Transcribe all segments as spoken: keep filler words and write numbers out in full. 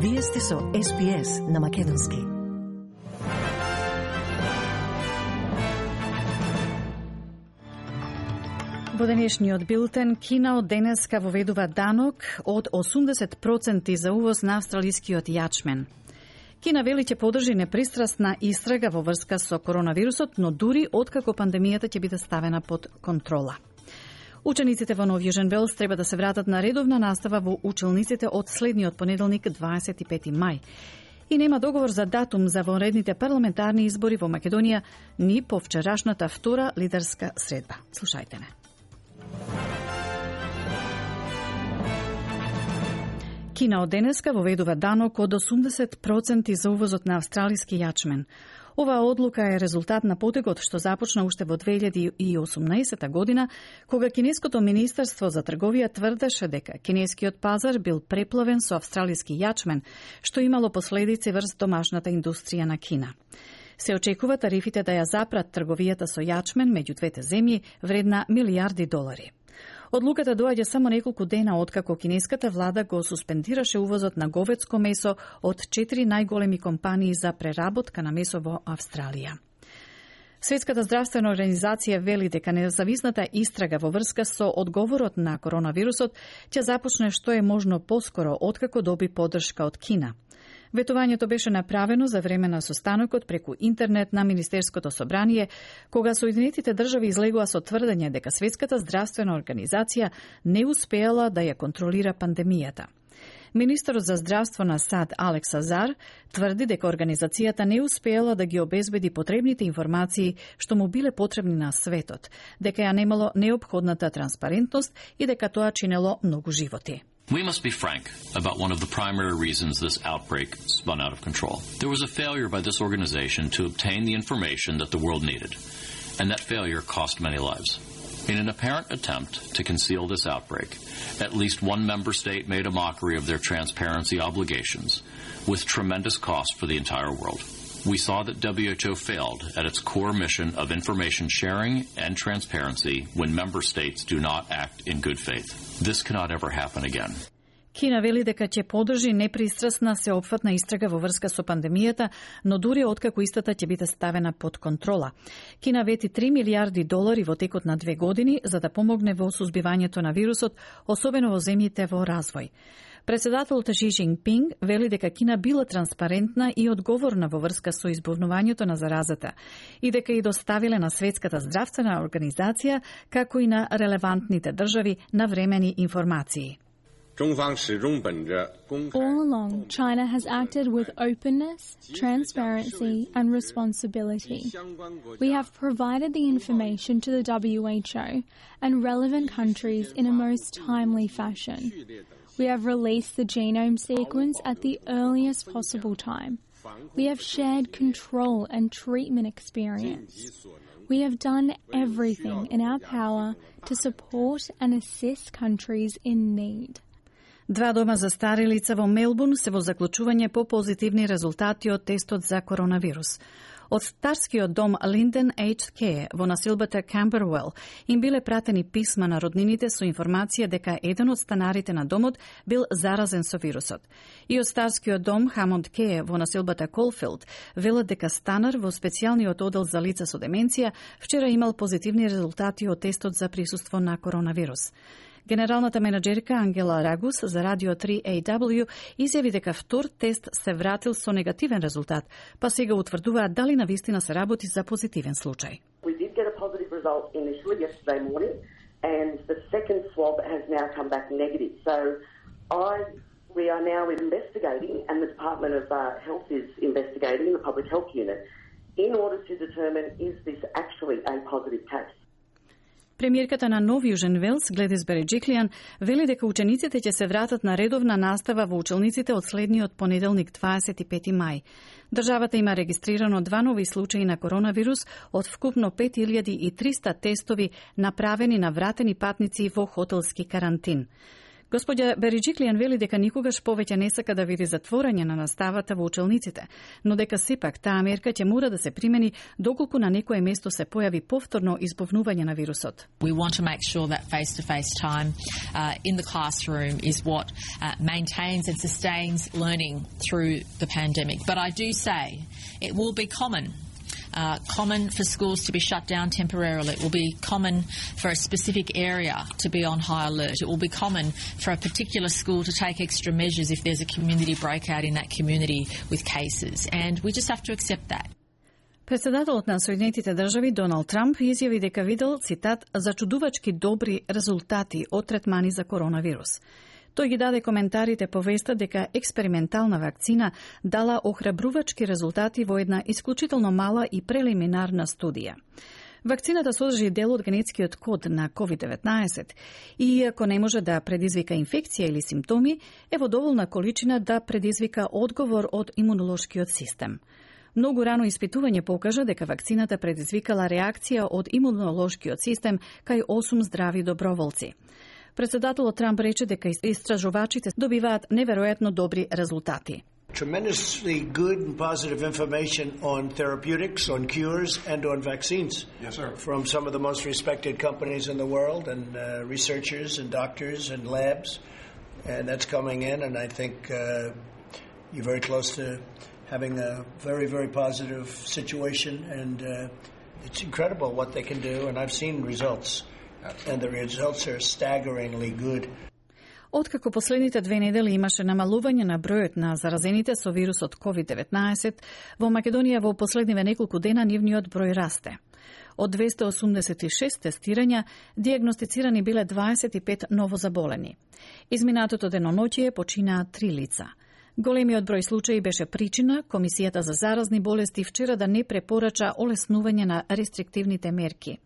Вие сте со Ес Би Ес на Македонски. Во денешниот билтен, Кина од денеска воведува данок од осумдесет проценти за увоз на австралискиот јачмен. Кина вели ќе подржи непристрасна истрага во врска со коронавирусот, но дури откако пандемијата ќе биде ставена под контрола. Учениците во Нов Јужен Велс треба да се вратат на редовна настава во училниците од следниот понеделник, дваесет и пети мај. И нема договор за датум за вонредните парламентарни избори во Македонија ни по вчерашната втора лидерска средба. Слушајте не. Кина од денеска воведува данок од осумдесет проценти за увозот на австралиски јачмен. Оваа одлука е резултат на потегот што започна уште во две илјади и осумнаесета година, кога кинеското министерство за трговија тврдеше дека кинескиот пазар бил преплавен со австралиски јачмен, што имало последици врз домашната индустрија на Кина. Се очекува тарифите да ја запрат трговијата со јачмен меѓу двете земји вредна милијарди долари. Одлуката доаѓа само неколку дена откако кинеската влада го суспендираше увозот на говедско месо од четири најголеми компании за преработка на месо во Австралија. Светската здравствена организација вели дека независната истрага во врска со одговорот на коронавирусот ќе започне што е можно поскоро откако доби поддршка од Кина. Ветувањето беше направено за време на состанокот преку интернет на Министерското собрание, кога Соединетите држави излегува со тврдење дека Светската здравствена организација не успеала да ја контролира пандемијата. Министерот за здравство на САД Алекс Азар тврди дека организацијата не успеала да ги обезбеди потребните информации што му биле потребни на светот, дека ја немало неопходната транспарентност и дека тоа чинело многу животи. We must be frank about one of the primary reasons this outbreak spun out of control. There was a failure by this organization to obtain the information that the world needed, and that failure cost many lives. In an apparent attempt to conceal this outbreak, at least one member state made a mockery of their transparency obligations, with tremendous cost for the entire world. We saw that W H O failed at its core mission of information sharing and transparency when member states do not act in good faith. This cannot ever happen again. Кина вели дека ќе подржи непристрасна сеопфатна истрага во врска со пандемијата, но дури откако истата ќе биде ставена под контрола. Кина вети три милијарди долари во текот на две години за да помогне во сузбивањето на вирусот, особено во земјите во развој. Председателот Ши Џинпинг вели дека Кина била транспарентна и одговорна во врска со избавувањето на заразата и дека и доставиле на Светската здравствена организација, како и на релевантните држави навремени информации. All along, China has acted with openness, transparency, and responsibility. We have provided the information to the W H O and relevant countries in a most timely fashion. We have released the genome sequence at the earliest possible time. We have shared control and treatment experience. We have done everything in our power to support and assist countries in need. Два дома за стари лица во Мелбурн се во заклучување по позитивни резултати од тестот за коронавирус. Од старскиот дом Linden Aged Care во насилбата Camberwell им биле пратени писма на роднините со информација дека еден од станарите на домот бил заразен со вирусот. И од старскиот дом Hammond Care во насилбата Колфилд велат дека станар во специјалниот одел за лица со деменција вчера имал позитивни резултати од тестот за присуство на коронавирус. Генералната менеджерка Ангела Рагус за Радио три А В изјави дека втор тест се вратил со негативен резултат, па сега утврдуваат дали навистина се работи за позитивен случај. We did get a positive result initially yesterday morning, and the second swab has now come back negative. So I, we are now investigating, and the Department of uh, Health is investigating, the Public Health Unit, in order to determine is this actually a positive case. Премиерката на Нов Јужен Велс, Гледис Береџиклијан, вели дека учениците ќе се вратат на редовна настава во училниците од следниот понеделник, дваесет и пети мај. Државата има регистрирано два нови случаи на коронавирус од вкупно пет илјади и триста тестови направени на вратени патници во хотелски карантин. Господја Бериџиклијан вели дека никогаш повеќе не сака да види затворање на наставата во училниците, но дека сепак таа мерка ќе мора да се примени доколку на некое место се појави повторно избовнување на вирусот. We want to make sure that face-to-face time uh, in the classroom is what uh, maintains and sustains learning through the pandemic. But I do say it will be common Uh, common for schools to be shut down temporarily. It will be common for a specific area to be on high alert. It will be common for a particular school to take extra measures if there's a community breakout in that community with cases. And we just have to accept that. Председателот на Соединетите држави Доналд Трамп изјави дека видел, цитат, зачудувачки добри резултати од третмани за коронавирус. Тој ги даде коментарите по веста дека експериментална вакцина дала охрабрувачки резултати во една исклучително мала и прелиминарна студија. Вакцината содржи дел од генетскиот код на ковид деветнаесет и иако не може да предизвика инфекција или симптоми, е во доволна количина да предизвика одговор од имунолошкиот систем. Многу рано испитување покажа дека вакцината предизвикала реакција од имунолошкиот систем кај осум здрави доброволци. Председателот Трамп рече дека истражувачите добиваат неверојатно добри резултати. Tremendously good and positive information on therapeutics, on cures, and on vaccines. Yes, sir. From some of the most respected companies in the world, and uh, researchers, and doctors, and labs, and that's coming in. And I think uh, you're very close to having a very, very positive situation, and uh, it's incredible what they can do. And I've seen results. And the results are staggeringly good. Откако последните две недели имаше намалување на бројот на заразените со вирусот ковид деветнаесет, во Македонија во последниве неколку дена нивниот број расте. Од двесте осумдесет и шест тестирања, диагностицирани биле дваесет и пет новозаболени. Изминатото деноноќие починаа три лица. Големиот број случаи беше причина Комисијата за заразни болести вчера да не препорача олеснување на рестриктивните мерки.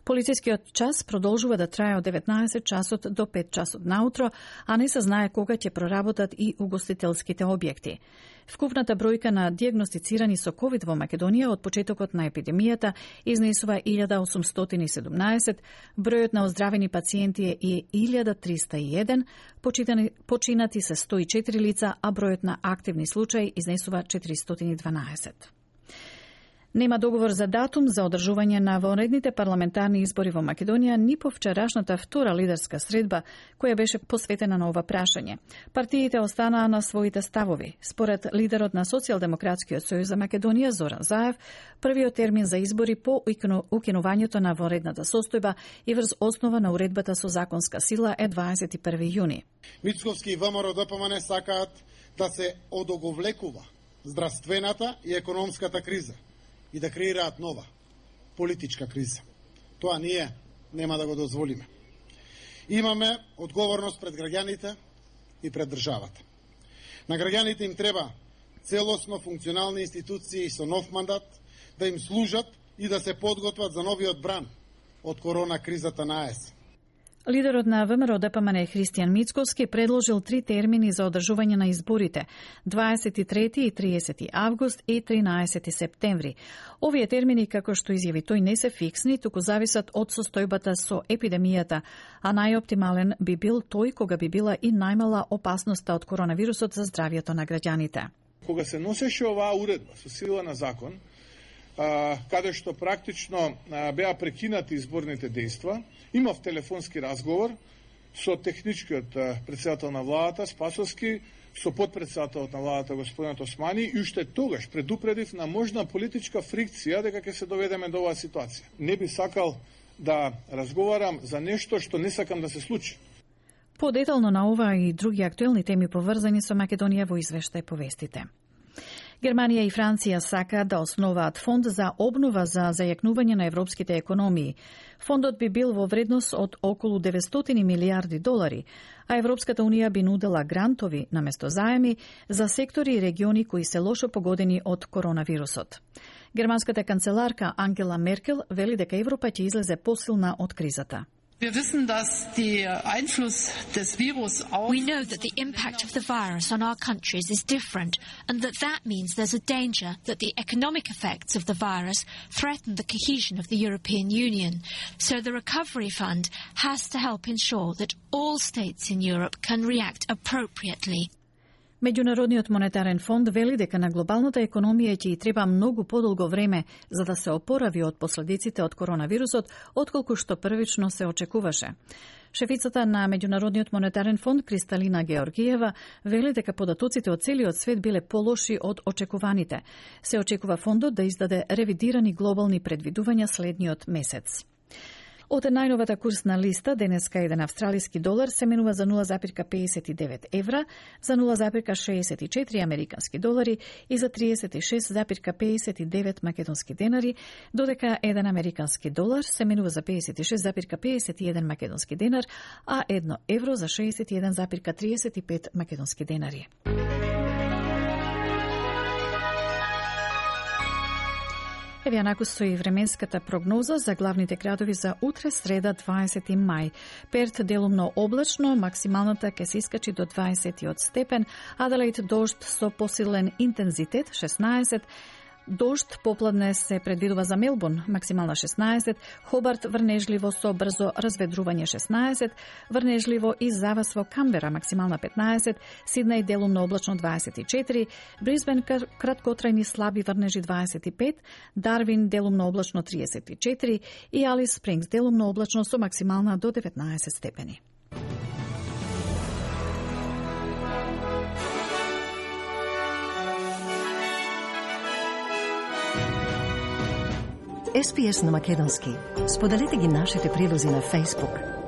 Полицискиот час продолжува да трае од деветнаесет часот до пет часот наутро, а не се знае кога ќе проработат и угостителските објекти. Вкупната бројка на диагностицирани со ковид во Македонија од почетокот на епидемијата изнесува илјада осумстотини и седумнаесет, бројот на оздравени пациенти е илјада триста и еден, починати се сто и четири лица, а бројот на активни случаи изнесува четиристотини и дванаесет. Нема договор за датум за одржување на вонредните парламентарни избори во Македонија ни по вчерашната втора лидерска средба, која беше посветена на ова прашање. Партиите останаа на своите ставови. Според лидерот на Социјалдемократскиот сојуз за Македонија Зоран Заев, првиот термин за избори по укинувањето на вонредната состојба и врз основа на уредбата со законска сила е дваесет и први јуни. Мицковски и ВМРО-ДПМН сакаат да се одоговлекува здравствената и економската криза и да креираат нова политичка криза. Тоа ние нема да го дозволиме. Имаме одговорност пред граѓаните и пред државата. На граѓаните им треба целосно функционални институции со нов мандат да им служат и да се подготват за новиот бран од корона кризата на ЕС. Лидерот на ВМРО-ДПМН Христијан Мицковски предложил три термини за одржување на изборите – дваесет и трети и триесети август и тринаесети септември. Овие термини, како што изјави тој, не се фиксни, туку зависат од состојбата со епидемијата, а најоптимален би бил тој кога би била и најмала опасноста од коронавирусот за здравјето на граѓаните. Кога се носеше оваа уредба со сила на закон, каде што практично беа прекинати изборните дејства, имав телефонски разговор со техничкиот председател на владата Спасовски, со подпредседателот на владата господинот Османи, и уште тогаш предупредив на можна политичка фрикција дека ќе се доведеме до оваа ситуација. Не би сакал да разговарам за нешто што не сакам да се случи. Подетално на ова и други актуелни теми поврзани со Македонија во извештај повестите. Германија и Франција сакаат да основаат фонд за обнова за зајакнување на европските економии. Фондот би бил во вредност од околу деветстотини милиарди долари, а Европската унија би нудела грантови наместо заеми за сектори и региони кои се лошо погодени од коронавирусот. Германската канцеларка Ангела Меркел вели дека Европа ќе излезе посилна од кризата. We know that the impact of the virus on our countries is different, and that that means there's a danger that the economic effects of the virus threaten the cohesion of the European Union. So the Recovery Fund has to help ensure that all states in Europe can react appropriately. Меѓународниот монетарен фонд вели дека на глобалната економија ќе треба многу подолго време за да се опорави од последиците од коронавирусот, отколку што првично се очекуваше. Шефицата на Меѓународниот монетарен фонд Кристалина Георгиева вели дека податоците од целиот свет биле полоши од очекуваните. Се очекува фондот да издаде ревидирани глобални предвидувања следниот месец. Од најновата курсна листа, денеска еден австралиски долар се менува за нула запирка педесет и девет евра, за нула запирка шеесет и четири американски долари и за триесет и шест запирка педесет и девет македонски денари, додека еден американски долар се менува за педесет и шест запирка педесет и еден македонски денар, а едно евро за шеесет и еден запирка триесет и пет македонски денари. Еве јанаку стои временската прогноза за главните градови за утре, среда, дваесети мај. Перт делумно облачно, максималната ќе се искачи до дваесет и осем степен, Аделаид дожд со посилен интензитет шеснаесет, дожд попладне се предвидува за Мелбурн, максимална шеснаесет, Хобарт врнежливо со брзо разведрување шеснаесет, врнежливо и завас во Камбера, максимална петнаесет, Сиднеј делумно облачно дваесет и четири, Брисбен краткотрајни слаби врнежи дваесет и пет, Дарвин делумно облачно триесет и четири и Алис Спрингс делумно облачно со максимална до деветнаесет степени. Ес Пи Ес на македонски. Споделете ги нашите прилози на Facebook.